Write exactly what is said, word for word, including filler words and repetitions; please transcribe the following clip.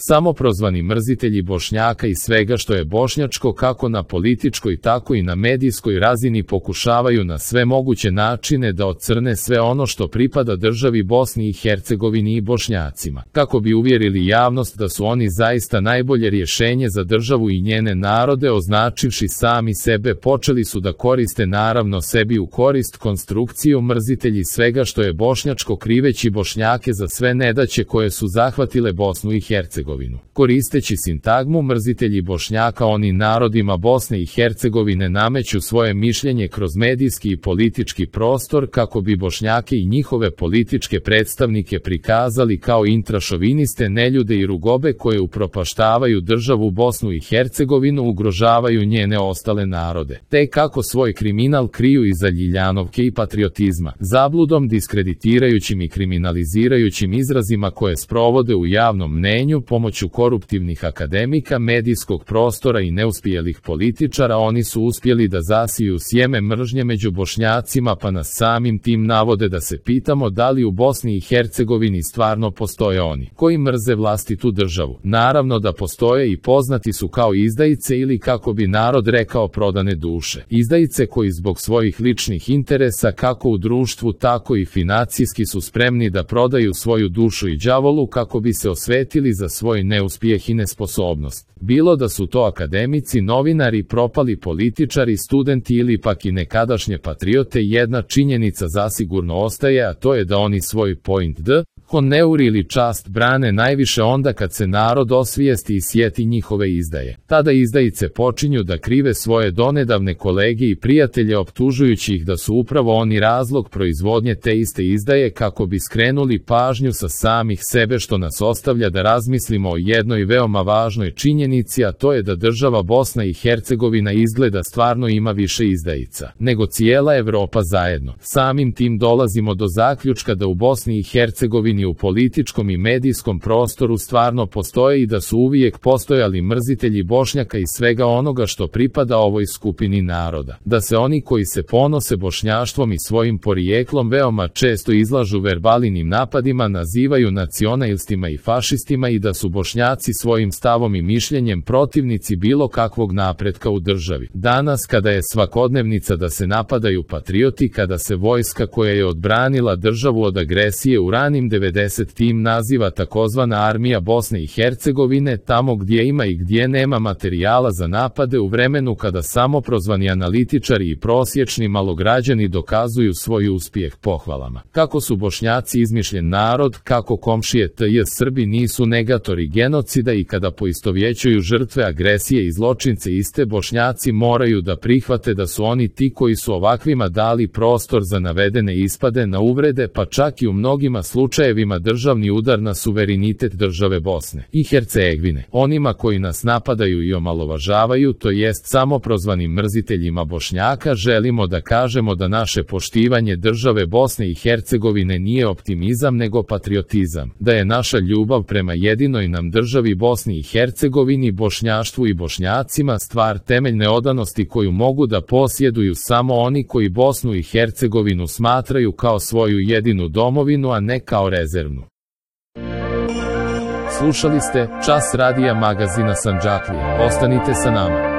Samoprozvani mrzitelji Bošnjaka i svega što je bošnjačko kako na političkoj tako i na medijskoj razini pokušavaju na sve moguće načine da ocrne sve ono što pripada državi Bosni i Hercegovini i Bošnjacima, kako bi uvjerili javnost da su oni zaista najbolje rješenje za državu i njene narode. Označivši sami sebe, počeli su da koriste naravno sebi u korist konstrukciju mrzitelji svega što je bošnjačko, kriveći Bošnjake za sve nedaće koje su zahvatile Bosnu i Hercegovinu. Koristeći sintagmu mrzitelji Bošnjaka, oni narodima Bosne i Hercegovine nameću svoje mišljenje kroz medijski i politički prostor kako bi Bošnjake i njihove političke predstavnike prikazali kao intrašoviniste neljude i rugobe koje upropaštavaju državu Bosnu i Hercegovinu, ugrožavaju njene ostale narode, te kako svoj kriminal kriju iza ljiljanovke i patriotizma, zabludom, diskreditirajućim i kriminalizirajućim izrazima koje sprovode u javnom mnenju pomoću koruptivnih akademika, medijskog prostora i neuspjelih političara. Oni su uspjeli da zasiju sjeme mržnje među Bošnjacima, pa nas samim tim navode da se pitamo da li u Bosni i Hercegovini stvarno postoje oni koji mrze vlastitu državu. Naravno da postoje i poznati su kao izdajice ili, kako bi narod rekao, prodane duše. Izdajice koji zbog svojih ličnih interesa kako u društvu tako i financijski su spremni da prodaju svoju dušu i đavolu kako bi se osvetili za svoj neuspjeh i nesposobnost. Bilo da su to akademici, novinari, propali političari, studenti ili pak i nekadašnje patriote, jedna činjenica zasigurno ostaje, a to je da oni svoj point d, honeur ili čast brane najviše onda kad se narod osvijesti i sjeti njihove izdaje. Tada izdajice počinju da krive svoje donedavne kolege i prijatelje, optužujući ih da su upravo oni razlog proizvodnje te iste izdaje kako bi skrenuli pažnju sa samih sebe, što nas ostavlja da razmislimo o jednoj veoma važnoj činjenici, a to je da država Bosna i Hercegovina izgleda stvarno ima više izdajica nego cijela Evropa zajedno. Samim tim dolazimo do zaključka da u Bosni i Hercegovini u političkom i medijskom prostoru stvarno postoje i da su uvijek postojali mrzitelji Bošnjaka i svega onoga što pripada ovoj skupini naroda. Da se oni koji se ponose bošnjaštvom i svojim porijeklom veoma često izlažu verbalinim napadima, nazivaju nacionalistima i fašistima i da su Bošnjaci svojim stavom i mišljenjem protivnici bilo kakvog napretka u državi. Danas kada je svakodnevnica da se napadaju patrioti, kada se vojska koja je odbranila državu od agresije u ranim devedesetim naziva takozvana armija Bosne i Hercegovine, tamo gdje ima i gdje nema materijala za napade, u vremenu kada samoprozvani analitičari i prosječni malograđani dokazuju svoj uspjeh pohvalama kako su Bošnjaci izmišljen narod, kako komšije tj. Srbi nisu negatori genocida i kada poistovjećuju žrtve agresije i zločince iste, Bošnjaci moraju da prihvate da su oni ti koji su ovakvima dali prostor za navedene ispade na uvrede, pa čak i u mnogima slučajevima državni udar na suverenitet države Bosne i Hercegovine. Onima koji nas napadaju i omalovažavaju, to jest samoprozvanim mrziteljima Bošnjaka, želimo da kažemo da naše poštivanje države Bosne i Hercegovine nije optimizam nego patriotizam, da je naša ljubav prema jedinoj nam državi Bosni i Hercegovini, bošnjaštvu i Bošnjacima stvar temeljne odanosti koju mogu da posjeduju samo oni koji Bosnu i Hercegovinu smatraju kao svoju jedinu domovinu, a ne kao rezervnu. Slušali ste Čas radija magazina Sandžaklije. Ostanite sa nama.